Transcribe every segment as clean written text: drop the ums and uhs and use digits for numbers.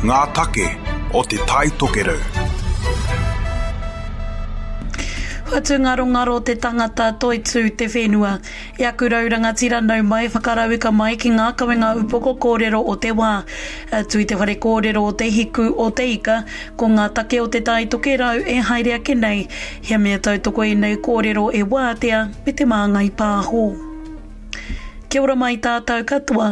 Ngā take o Te Tai Tokerau. Whatungarongaro te tangata, toitū te whenua. E aku rau rangatira nau mai, whakarauika mai ki ngā kawenga upoko kōrero o te wā. Atu i te whare kōrero o Te Hiku o Te Ika, ko ngā take o Te Tai Tokerau e haere ake nei. He mea tautoko ēnei kōrero e Wātea me Te Māngai Pāho. Kia ora mai tātou katoa.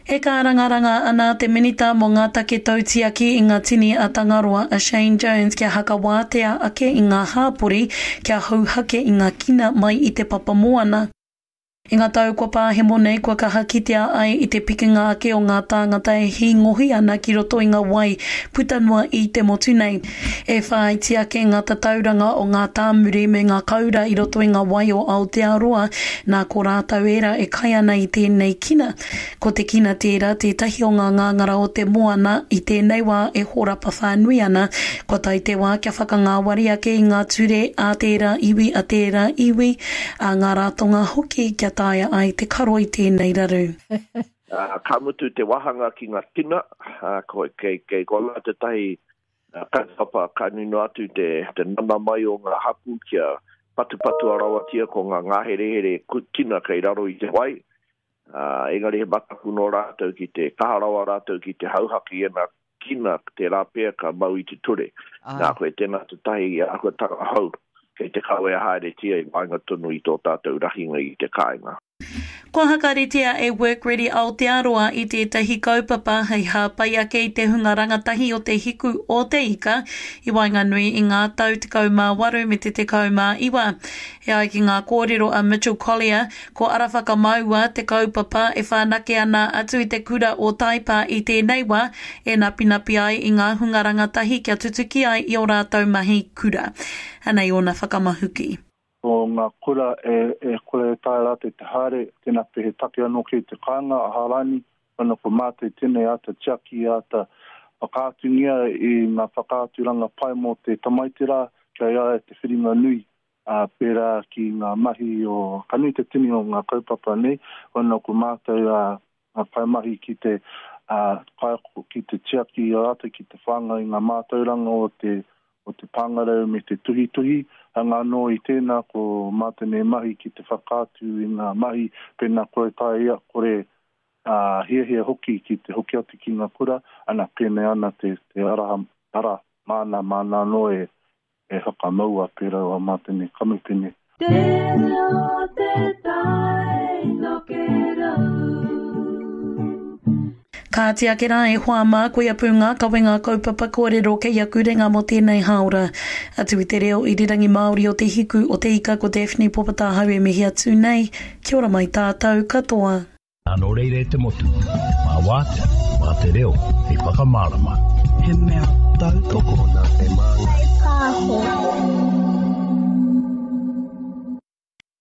E kārangaranga ana te Minita mō ngā Take Tautiaki i ngā Tini a Tangaroa, a Shane Jones kia hakawātea ake i ngā hāpori kia hauhake i ngā kina mai i te papa moana. I ngā tau kua pāhemo nei kua kaha kitea ai i te pikinga ake o ngā tāngata e hīngohi ana ki roto i ngā wai puta noa i te motu nei. E whāiti ake ngā tatauranga o ngā tāmuri me ngā kaura i roto i ngā wai o Aotearoa, nā ko rātou ērā e kai ana i tēnei kina. Ko te kina tērā tētahi o ngā ngāngara o te moana i tēnei wā e hōrapa whānui ana. Kua tae te wā kia whakangāwari ake i ngā ture a tērā iwi, a tērā iwi, a ngā ratonga hoki kia taea ai te karo i tēnei raru. Ka mutu te wāhanga ki ngā tina, kei, kei konā tētahi kaupapa ka nui noa atu te, te nana mai o ngā hapū kia patupatua rawatia ko ngā ngāherehere tina kei raro i te wai, Ā, engari he mataku nō rātou ki te kaha rawa rātou ki te hauhake i ēnā kina, tērā pea ka mau i te ture. Nā, koe tēnā tētahi āhuatanga hou kei te kawea haeretia i waenga tonu i tō tātou rahinga i te kāinga. Kua hakaritea e Work Ready Aotearoa i tētahi kaupapa hei hāpai ake i te hunga rangatahi o Te Hiku o Te Ika i waenganui i ngā tau 18 me te 19. E ai ki ngā kōrero a Mitchell Collier, Ko Ara Whakamaua te kaupapa e whanake ana atu i te kura o Taipa i tēnei wā, e napinapi ai i ngā hunga rangatahi kia tutuki ai i ō rātou mahi kura. Anei ōna whakamahuki. Ko ngā kura e kore e taea rātou te haere, tēnā pea he take anō kei te kāinga a Hārani, ana ko mātou tēnei āta tiaki, āta whakaatungia i ngā whakaaturanga pai mō te tamaiti rā, kei a ia te whiringa nui ā, pērā ki ngā mahi o, ka nui te tini o ngā kaupapa nei, whana ko mātou ā, ngā kaimahi ki te, ā, kaiako ki te tiaki i a rātou, ki te whāngai i ngā mātauranga o te, o te pāngarau me te tuhituhi, hanga anō i tēnā ko mātou nei mahi ki te whakaatu i ngā mahi pēnā kore taea ia, kore, ā, hiahia hoki ki te hoki atu ki ngā kura, ana, pēnei ana te, te araha, ara, māna, māna anō e, E whakamaua pērā o Mātene Kamupene. Te reo o te tai tokerau. Kāti ake rā e hoa mā, koia pū ngā kawenga kaupapa kōrero kei aku renga mō tēnei hāora. Atu i te reo irirangi Māori o Te Hiku o Te Ika ko Daphne Popatahau e mihi atu nei, kia ora mai tātou katoa. Nō reira e te motu, mā Wātea, mā te reo hei whakamārama. He mea tautoko.